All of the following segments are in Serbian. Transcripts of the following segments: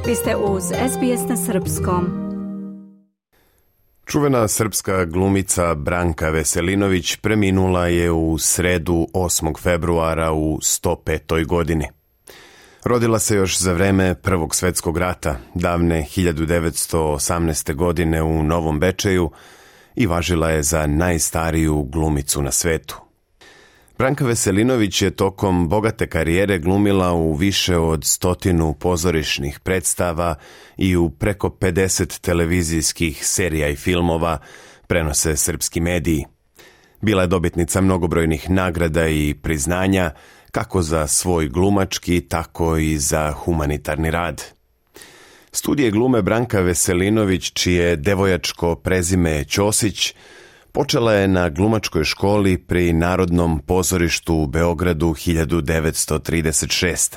Vi ste uz SBS na srpskom. Čuvena srpska glumica Branka Veselinović preminula je u sredu 8. februara u 105. godini. Rodila se još za vreme Prvog svjetskog rata, davne 1918. godine u Novom Bečeju i važila je za najstariju glumicu na svetu. Branka Veselinović je tokom bogate karijere glumila u više od 100 pozorišnih predstava i u preko 50 televizijskih serija i filmova, prenose srpski mediji. Bila je dobitnica mnogobrojnih nagrada i priznanja, kako za svoj glumački, tako i za humanitarni rad. Studije glume Branka Veselinović, čije devojačko prezime Ćosić, počela je na glumačkoj školi pri Narodnom pozorištu u Beogradu 1936.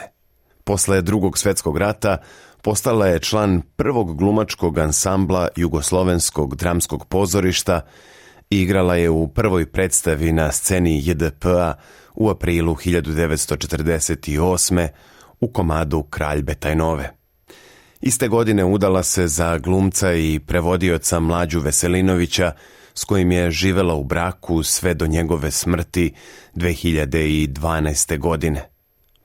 Posle Drugog svjetskog rata postala je član prvog glumačkog ansambla Jugoslovenskog dramskog pozorišta i igrala je u prvoj predstavi na sceni JDP-a u aprilu 1948. u komadu Kralj Betajnove. Iste godine udala se za glumca i prevodioca Mlađu Veselinovića, s kojim je živela u braku sve do njegove smrti 2012. godine.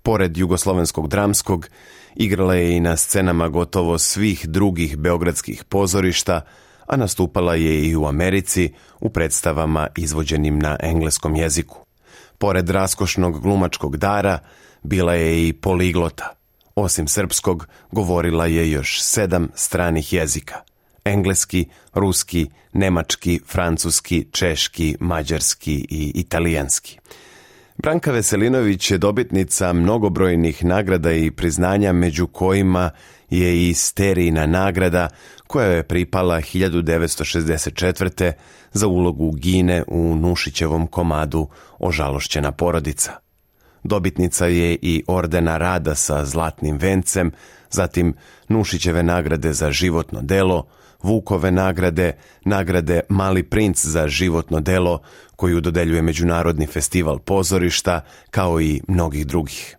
Pored Jugoslovenskog dramskog, igrala je i na scenama gotovo svih drugih beogradskih pozorišta, a nastupala je i u Americi u predstavama izvođenim na engleskom jeziku. Pored raskošnog glumačkog dara, bila je i poliglota. Osim srpskog, govorila je još 7 stranih jezika: engleski, ruski, nemački, francuski, češki, mađarski i italijanski. Branka Veselinović je dobitnica mnogobrojnih nagrada i priznanja, među kojima je i Sterijina nagrada, koja je pripala 1964. za ulogu Gine u Nušićevom komadu Ožalošćena porodica. Dobitnica je i Ordena rada sa zlatnim vencem, zatim Nušićeve nagrade za životno delo, Vukove nagrade, nagrade Mali princ za životno delo, koju dodeljuje Međunarodni festival pozorišta, kao i mnogih drugih.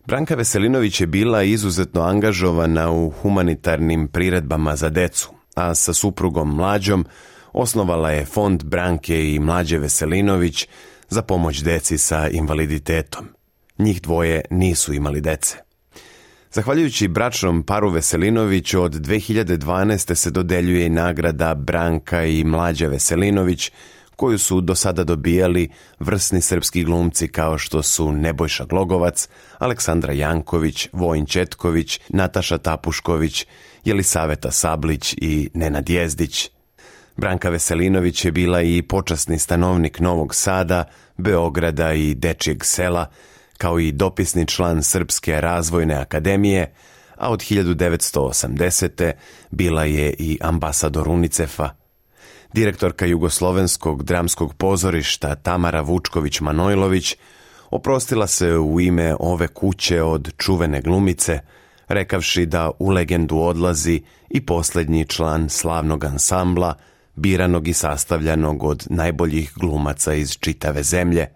Branka Veselinović je bila izuzetno angažovana u humanitarnim priredbama za decu, a sa suprugom Mlađom osnovala je Fond Branke i Mlađe Veselinović za pomoć deci sa invaliditetom. Njih dvoje nisu imali dece. Zahvaljujući bračnom paru Veselinović, od 2012. se dodeljuje i nagrada Branka i Mlađa Veselinović, koju su do sada dobijali vrsni srpski glumci kao što su Nebojša Glogovac, Aleksandra Janković, Vojin Četković, Nataša Tapušković, Jelisaveta Sablić i Nenad Jezdić. Branka Veselinović je bila i počasni stanovnik Novog Sada, Beograda i Dečijeg sela, kao i dopisni član Srpske razvojne akademije, a od 1980. bila je i ambasador UNICEF-a. Direktorka Jugoslovenskog dramskog pozorišta Tamara Vučković-Manojlović oprostila se u ime ove kuće od čuvene glumice, rekavši da u legendu odlazi i posljednji član slavnog ansambla, biranog i sastavljanog od najboljih glumaca iz čitave zemlje.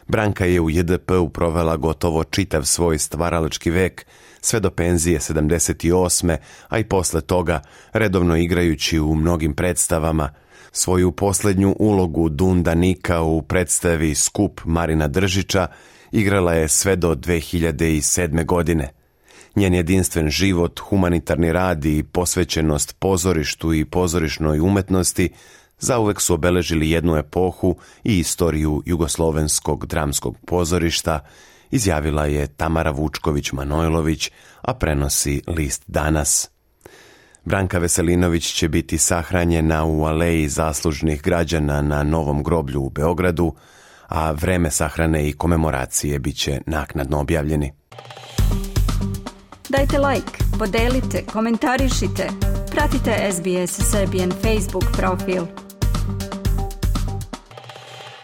Branka je u JDP-u provela gotovo čitav svoj stvaralački vek, sve do penzije 78. a i posle toga, redovno igrajući u mnogim predstavama. Svoju posljednju ulogu Dunda Nika u predstavi Skup Marina Držića igrala je sve do 2007. godine. Njen jedinstven život, humanitarni rad i posvećenost pozorištu i pozorišnoj umetnosti zauvek su obeležili jednu epohu i istoriju Jugoslovenskog dramskog pozorišta, izjavila je Tamara Vučković-Manojlović, a prenosi list Danas. Branka Veselinović će biti sahranjena u Aleji zaslužnih građana na Novom groblju u Beogradu, a vreme sahrane i komemoracije biće naknadno objavljeni. Dajte like, podelite, komentarišite, pratite SBS Serbian Facebook profil.